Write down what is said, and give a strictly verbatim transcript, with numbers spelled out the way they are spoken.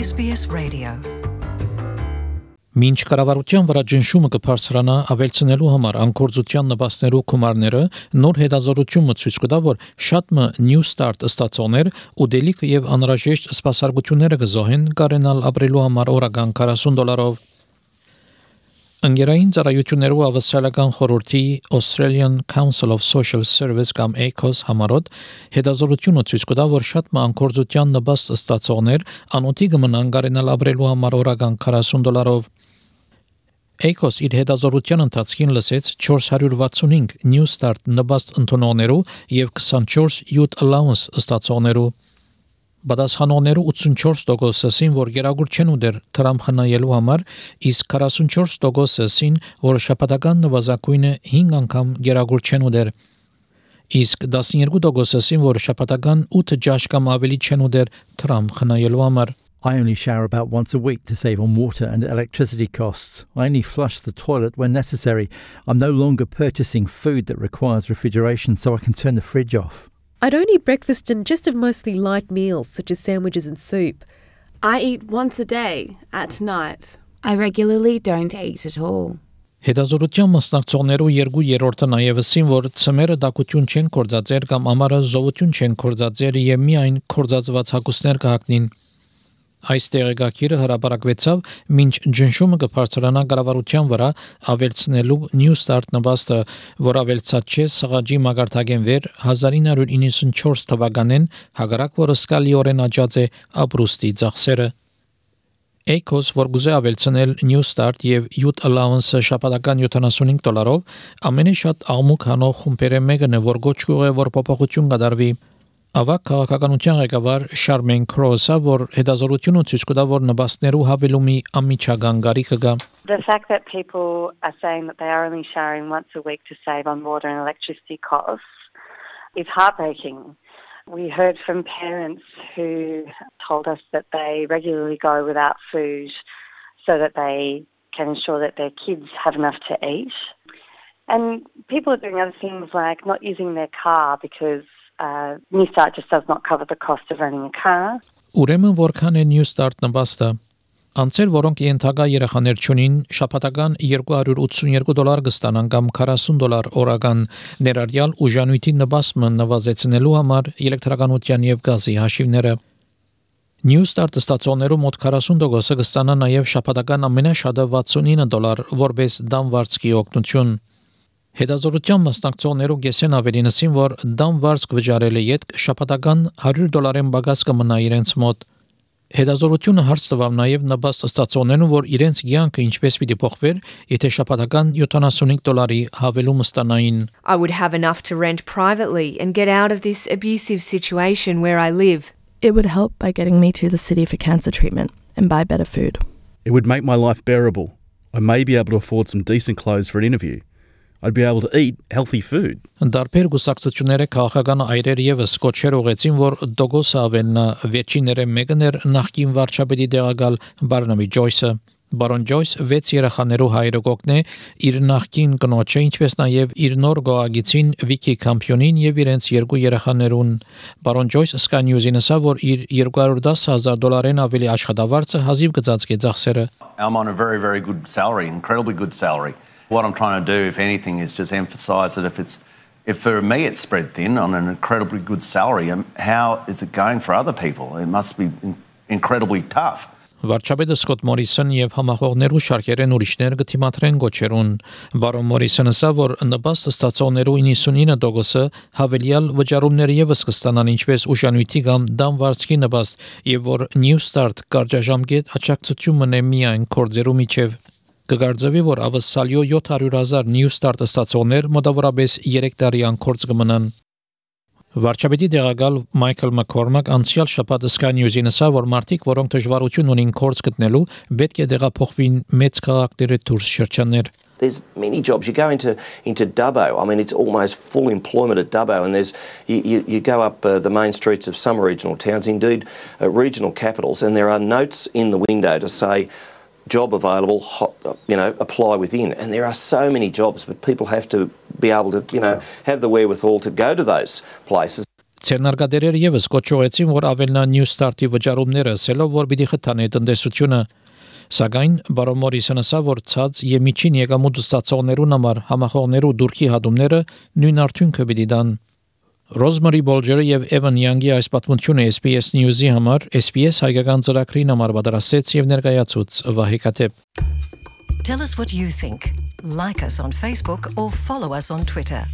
S B S Radio. Մինչ կառավարության վրա ճնշումը կբարձրանա ավելցնելու համար անկորձության նպաստներու գումարները, նոր հետազոտությունը ցույց կտա, որ շատ մը New Start ստացողներ ուտելիք եւ անհրաժեշտ սպասարկությունները կզոհեն կարենալ ապրելու համար օրական քառասուն դոլարով։ Ընկերային ծառայություններու ավասալական խորհրդի Australian Council of Social Service կամ A C O S համարոտ հետազոտությունը ցույց կտա, որ շատ մը անկորձության նպաստ ստացողներ անօթի կմնան կարենալ ապրելու համար օրական քառասուն դոլարով։ A C O S իր հետազոտության ընթացքին լսեց four hundred sixty-five New Start նպաստ ընդունողներու եւ twenty-four Youth Allowance ստացողներու։ Բադասխանողներու eighty-four տոկոսին, որ գերագուր չեն ուտեր Թրամփ խնայելու համար, իսկ forty-four տոկոսին, որ շաբաթական նվազագույնը five անգամ գերագուր չեն ուտեր։ Իսկ twelve տոկոսին, որ շաբաթական eight ջաշ կամ ավելի չեն ուտեր Թրամփ խնայելու համար։ I only shower about once a week to save on water and electricity costs. I only flush the toilet when necessary. I'm no longer purchasing food that requires refrigeration so I can turn the fridge off. I don't eat breakfast and just have mostly light meals such as sandwiches and soup. I eat once a day at night. I regularly don't eat at all. Հետազոտության մասնակցողներու երկու երրորդը նաև ասին, որ ծմերը դակություն չեն կործածեր կամ ամառը զովություն չեն կործածեր եւ միայն կործածված հագուստներ կհագնին։ Այս տեղեկակիրը հրապարակվեցավ, մինչ ճնշումը կբարձրանա կառավարության վրա ավելցնելու New Start նպաստը, որ ավելցած չէ սղաճի մագարտակեն վեր nineteen ninety-four թվականին, հակառակ որ սկալիորեն աճած է ապրուստի ծախսերը։ A C O S, որ գուզե ավելցնել New Start եւ Youth Allowance շաբաթական seventy-five դոլարով, ամենաշատ աղմուկ հանող խումբերը մեկն է, որ գոչ կուղե, որ փոփոխություն կդարվի։ Ավակ քաղաքականության ղեկավար Charmaine Cross-ը, որ հետազոտությունը ցույց կտա, որ նպաստներու հավելումի անմիջական գարիքը կա։ The fact that people are saying that they are only showering once a week to save on water and electricity costs is heartbreaking. We heard from parents who told us that they regularly go without food so that they can ensure that their kids have enough to eat. And people are doing other things like not using their car because Uh, New Start just does not cover the cost of running a car. Ուրեմն որքան է New Start նպաստը։ Անցեր, որոնք ենթակա երեխաներ չունին, շաբաթական two hundred eighty-two դոլար կստանան կամ forty դոլար օրական, ներառյալ ուժանույթի նպաստը նվազեցնելու համար էլեկտրականության եւ գազի հաշիվները։ New Start ստացողներու մոտ forty տոկոսը կստանան նաև շաբաթական ամենաշատը sixty-nine դոլար, որպես դամվարձքի օգնություն։ Հետազոտության մասնակցողներու գեսեն ավելինասին, որ դամվարձք վճարելը յետք շաբաթական one hundred դոլարեն բագաս կմնա իրենց մոտ։ Հետազոտությունը հարց տվավ նաև նպաստ ստացողներուն, որ իրենց կյանքը ինչպես պիտի փոխվեր, եթե շաբաթական seventy-five դոլարի հավելում ստանային։ I would have enough to rent privately and get out of this abusive situation where I live. It would help by getting me to the city for cancer treatment and buy better food. It would make my life bearable. I may be able to afford some decent clothes for an interview. I'd be able to eat healthy food. Դարբեր գուսակցությունները քաղաքական այրեր եւս կոչեր ուղեցին, որ դոգոսը ավելնա վերջինները մեկն էր նախկին վարչապետի տեղակալ Բարնաբի Ջոյսը։ Բարոն Ջոյս վեց երեխաներու հայրը կողքն է իր նախկին կնոջը, ինչպես նաև իր նոր գոհագիցին Վիկի Կամփյոնին եւ իրենց երկու երեխաներուն։ Բարոն Ջոյս Sky News-ին ասավ, որ իր two hundred ten thousand դոլարեն ավելի աշխատավարձը հազիվ գծածկի ծախսերը։ I'm on a very very good salary, incredibly good salary. What I'm trying to do, if anything, is just emphasise that if it's, if for me it's spread thin on an incredibly good salary, um, how is it going for other people? It must be in- incredibly tough. Վարչապետը Սկոտ Մորիսոն եւ համախոհներու շարքերեն ուրիշներ կթիմադրեն գոչերուն։ Բարոն Մորիսոնը ասավ, որ նպաստ ստացողներու ninety-nine տոկոսը հավելյալ վճարումներ եւս կստանան, ինչպես ուժանույթի կամ դամվարձքի նպաստ, եւ որ New Start կարճաժամկետ աջակցությունն է միայն կորձերու միջև։ Կգարձվի, որ ավսալյո seven hundred thousand New Start ստացողներ մոտավորապես three տարի անկորձ կմնան։ Վարչապետի տեղակալ Michael McCormack անցյալ շաբաթ Sky News-ին ասավ, որ մարդիկ, որոնք դժվարություն ունին կորձ գտնելու, պետք է տեղափոխվին մեծ քաղաքների դուրս շրջաններ։ There's many jobs. You go into into Dubbo. I mean, it's almost full employment at Dubbo, and there's you, you, you go up uh, the main streets of some regional towns, indeed uh, regional capitals, and there are notes in the window to say job available, hot, you know, apply within. And there are so many jobs, but people have to be able to, you know, have the wherewithal to go to those places. Ցերնարգադերերը եւս կոչողեցին, որ ավելնա New Start-ի վճարումները, ասելով, որ պիտի խթանի տնտեսությունը, սակայն բարոն Մորիսոնը ասա, որ ցած եւ միջին եկամուտ ստացողներուն համար համախոհներու դուրքի հատումները նույն արդյունքը պիտի դան։ Ռոզմարի Բոլջերը եւ Էվան Յանգի այս պատմությունը S B S News-ի համար S B S հայկական ծրագրին համար պատրաստեց եւ ներկայացուց Վահե Կատեփ։ Tell us what you think. Like us on Facebook or follow us on Twitter.